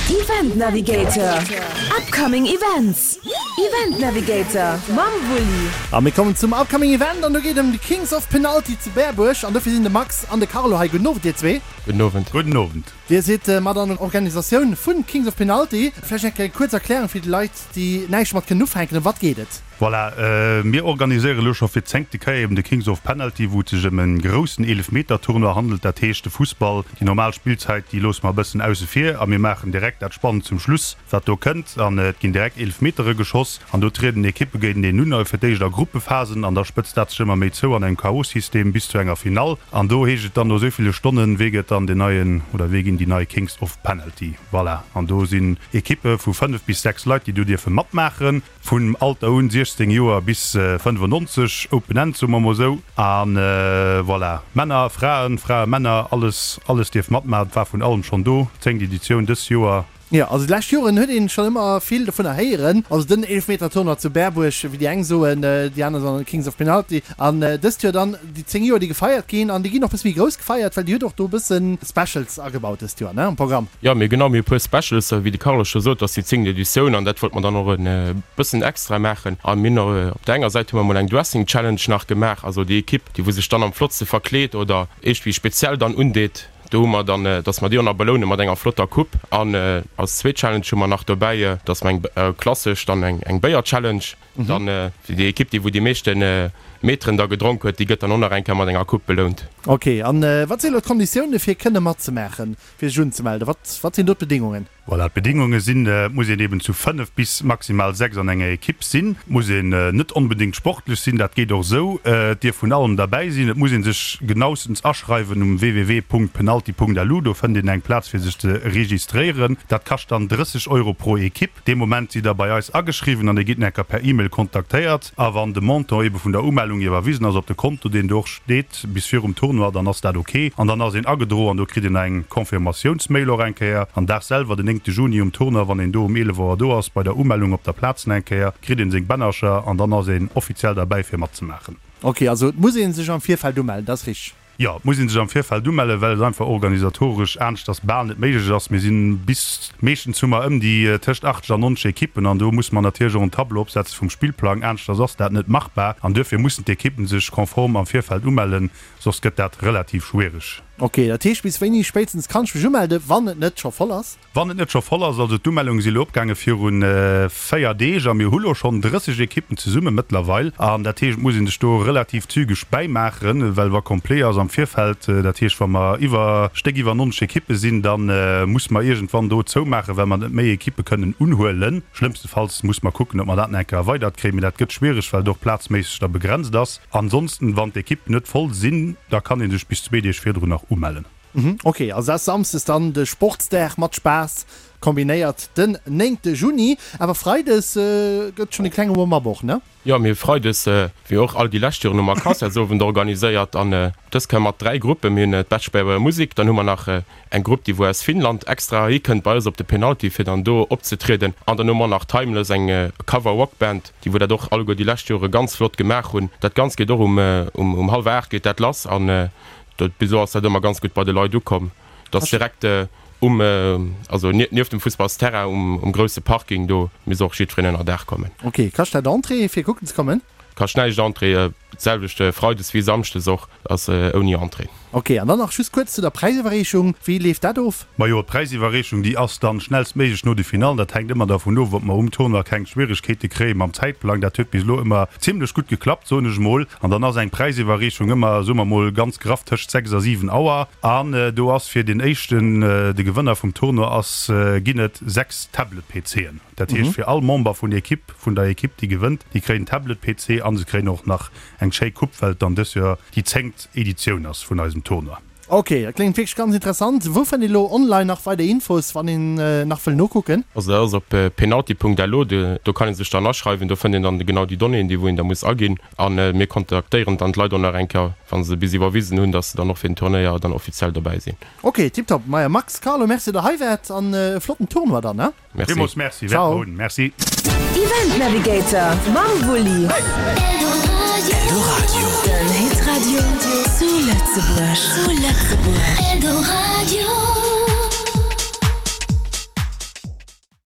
Event Navigator, Upcoming Events, Event Navigator mam Wulli. A mir kommen zum Upcoming Event an do geet et ëm de Kings of Penalty zu Berbuerg an dofir sinn de Max an de Carlo hei. Gudden Owend dir zwee. Gudden Owend. Gudden Owend. Dir sidd mat an der Organisatioun vun Kings of Penalty. Vläicht eng kleng kuerz Erklärung fir déi Leit déi näischt domat kënnen ufänken, ëm wat geet et? Voilà, mir organiséiere lo scho fir d'zéngte Kéier eben de Kings of Penalty, wou et sech ëm e groussen Eelefmeter-Tournoi handelt. Dat heescht, de Fussball, déi normal Spillzäit, déi loosse mer e bëssen ausse vir a mir maachen direkt dat Spannend zum Schluss, wat do kënnt. An et ginn direkt Eelefmetere geschoss an do trieden Ekippe géinteneen un, fir d'éischt a Gruppephasen an da spëtzt dat sech ëmmer méi zou an engem KO-System bis zu enger Finall. An do heescht et dann no esou ville Stonnen, wee gëtt dann den neien oder wee ginn déi nei Kings of Penalty. Voilà, an do sinn Ekippe vu 5 bis 6 Leit, déi do dierfe matmaachen. Vun Alter un 16 Joer bis 95, Open End soe mer mol esou. A voilà, Männer, Fraen, Frae, Männer, alles, alles dierf matmaachen. Et war vun allem schonn do. Zéngt Editioun dës Joer. Jo, also déi lescht Joren huet een schonn ëmmer vill dovunner héieren. Also den Eelefmeter-Tournoi zu Berbuerg, wéi déi eng soen, déi aner soen Kings of Penalty. An dëst Joer dann déi 10 Joer, déi gefeiert ginn. An déi ginn och e bësse méi grouss gefeiert, well Dir hutt och do e bësse Specials agebaut dëst Joer, ne, am Programm. Jo, mir genau, mir hu puer Specials, wéi de Carlos scho sot, ass déi zéngt Editioun an dat wollte mer dann och e bëssen extra maachen. A mir hunn och op der enger Säit hu mer mol eng Dressing Challenge nach gemaach, also déi Ekipp, déi wou sech dann am flottste verkleet oder iergendwéi speziell dann undeet, do hu mer dann, dass mer déi och nach beloune mat enger flotter Coupe. An als zweet Challenge hu mer nach dobäi, dass mer eng klassesch dann eng Béier Challenge, dann déi Ekipp, déi wou déi meeschte Meteren da gedronk huet, déi gëtt dann och nach eng Kéier mat enger Coupe belount. Ok, an wat sinn elo d'Konditioune fir kënne matzemaachen? Fir sech unzemelden, wat, wat sinn do d'Bedingungen? Voilà, d'Bedingunge sinn, et muss een eben zu 5 bis maximal 6 an enger Ekipp sinn, et muss een net onbedéngt sportlech sinn, dat geet och esou, et dierf vun allem derbäi sinn, et muss ee sech genaustens aschreiwen um www.penalty.lu, do fënnt een eng Plaz fir sech ze registréieren, dat kascht dann 30 Euro pro Ekipp. Dee Moment sidd der bei eis ageschriwwen an Dir gitt enker per E-Mail kontaktéiert. A wann de Montant ebe vun der Umellung iwwerwisen ass op de Konto, deen do och steet, bis virum Tournoi, dann ass dat ok. An dann ass een agedro an do kritt een eng Confirmatiounsmail och eng Kéier. An Dag selwer, den 9 Juni um Tournoi, wann een do um 11 Auer do ass bei der Umellung op der Plaz eng Kéier, kritt een seng Bännercher an dann ass een offiziell derbäi fir matzemaachen. Ok, also et muss ee sech am Virfeld umellen, dat ass richteg? Jo, et muss ee sech am Virfeld umellen, well et einfach organisatoresch aneschters bal net méiglech ass. Mir sinn bis, meeschtens hu mer ëm déi tëscht 80 an 90 Ekippen an do musse mer natierlech och en Tableau opsetze vum Spillplang. Aneschters ass dat net machbar an duerfir mussen d'Ekippen sech konform am Virfeld umellen, soss gëtt dat relativ schwiereg. Ok, dat heescht bis wéini spéitstens kann ech mech umelde wann et net scho voll ass? Wann et net scho voll ass, also d'Umellunge si lo opgaange viru 4 Deeg a mir hu lo schonn 30 Ekippen zesumme mëttlerweil. An dat heescht, et muss ee sech do relativ zügeg bäimaachen, well wa complet ass am Virfeld, dat heescht wa mer iwwer, Stéck iwwer 90 Ekippe sinn, da muss mer iergendwann do zoumaachen, well mer net méi Ekippe kënnen unhuelen. Schlëmmstefalls muss mer kucken, ob mer dat nach eng Kéier erweidert kréien, mee dat gëtt schwiereg, well et och plazméisseg da begrenzt ass. Ansonsten, wann d'Ekippen net voll sinn, da kann ee sech bis zwee Deeg virdrun nach umellen. Ok, also dat ass Samsdes dann de Sportsdag mat Spaass kombinéiert den 9 Juni. Awer Freides gëtt schonn e klenge Warm-up och, ne? Jo, mir hu Freides, wéi och all déi lescht Joren, hu mer Concertsowend organiséiert an dës Kéier mat 3 Gruppen. Mir hunn d'Betschberer Musik, dann hu mer nach eng Grupp, déi wou aus Finnland extra heihi kënnt bei eis op de Penalty fir dann do opzetrieden an dann hu mer nach Timeless, eng Cover-Rock-Band, déi wou dat och alleguer déi lescht Jore ganz flott gemaach hunn. Dat Ganzt geet och um um hallwer 8 geet dat lass an Dat, bis elo ass dat ëmmer ganz gutt bei de Leit ukomm. Dat ass direkt um, also nieft dem Fussballsterrain um, um grousse Parking, do misst och jiddwereen ënner Daach kommen. Ok, kascht dat Entrée fir kucken ze kommen? Kascht näischt Entrée, d'selwecht Freides wéi Samschdes och, ass ouni Entrée. Ok, an dann nach just kuerz zu der Präisiwwerreechung, wéi leeft dat of? Majo, d'Präisiwwerreechung, déi ass dann schnellstméiglech no de Finallen. Dat hänkt ëmmer dervun of, ob mer um Tournoi keng Schwieregkeete kréie mam Zäitplang. Dat huet bis elo ëmmer zimlech gutt geklappt, soen ech emol. An dann ass eng Präisiwwerreechung ëmmer, soe mer mol ganz graff, tëscht 6 a 7 Auer. An do ass fir deen éischten, de Gewënner vum Tournoi ass, ginn et 6 Tablet-PCen. Dat heescht fir all Member vun Ekipp, vun der Ekipp, déi gewënnt, déi kréien en Tablet-PC a se kréien och nach eng schéi Coupe, well et dann dës Joer déi zéngt Editioun ass vun eisem Tournoi. Ok, dat kléngt wierklech ganz interessant. Wou fënnt een elo online nach weider Infos, wann een nach wëll nokucken? Also dat ass op penalty.lo, do kann een sech dann aschreiwen, do fënnt een dann genau déi Donnéeën, déi wou een da muss aginn a mir kontaktéieren dann d'Leit och nach eng Kéier, wa se bis iwwerwisen hunn, dass se dann och fir den Turnéier dann offiziell dobäi sinn. Ok, tiptop. Maja Max, Carlo, merci der hei waart an e flotten Tournoi dann, ne? Merci. Villmools Merci, wäerte mer hunn. Merci. Event Navigator mam Wulli. Eldoradio. Den Hitradio zu Lëtzebuerg.